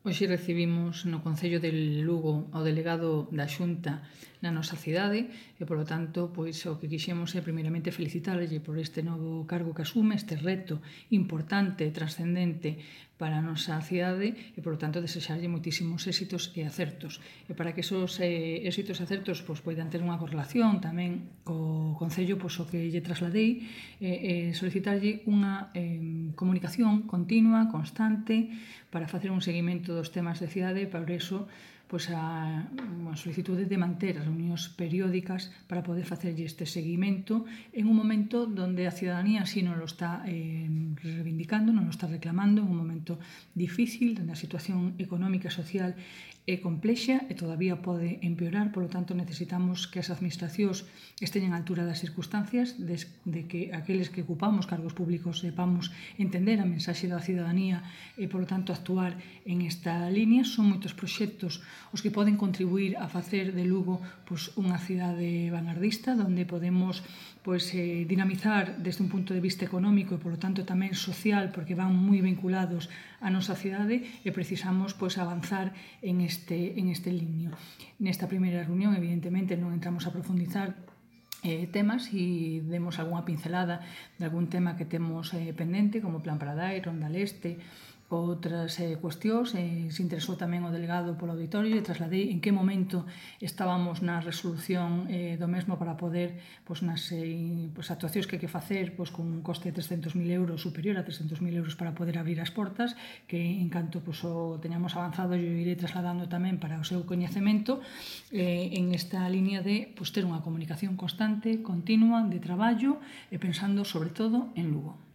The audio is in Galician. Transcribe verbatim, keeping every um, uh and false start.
Hoxe recibimos no Concello de Lugo ao delegado da Xunta na nosa cidade e, polo tanto, pois, o que quixemos é primeiramente felicitarlle por este novo cargo que asume, este reto importante e trascendente para a nosa cidade e, polo tanto, desexarlle moitísimos éxitos e acertos. E para que esos eh, éxitos e acertos pois, poidan ter unha correlación tamén co Concello, pois, o que lle trasladei é eh, solicitarlle unha eh, comunicación continua, constante, para facer un seguimento dos temas de cidade e por iso pois a, a solicitude de manter as reunións periódicas para poder facerlle este seguimento en un momento donde a cidadanía así non lo está eh, reivindicando, non lo está reclamando, en un momento difícil, donde a situación económica e social é complexa e todavía pode empeorar, polo tanto necesitamos que as administracións esteñen á altura das circunstancias, de, de que aqueles que ocupamos cargos públicos sepamos entender a mensaxe da cidadanía e, polo tanto, actuar en esta línea. Son moitos proxectos os que poden contribuir a facer de Lugo pois, unha cidade vanguardista, onde podemos pois, eh, dinamizar desde un punto de vista económico e, polo tanto, tamén social, porque van moi vinculados á nosa cidade e precisamos pois, avanzar en este, en este liño. Nesta primeira reunión, evidentemente, non entramos a profundizar eh, temas e demos algunha pincelada de algún tema que temos eh, pendente, como Plan Paradai, Ronda Leste, outras eh, cuestións. Eh, se interesou tamén o delegado polo auditorio e trasladei en que momento estábamos na resolución eh, do mesmo para poder, pois, nas eh, pois, actuacións que hai que facer pois, con un coste de trescentos mil euros, superior a trescentos mil euros para poder abrir as portas, que en canto pois, o teñamos avanzado eu irei trasladando tamén para o seu coñecemento eh, en esta línea de pois, ter unha comunicación constante, continua, de traballo e pensando sobre todo en Lugo.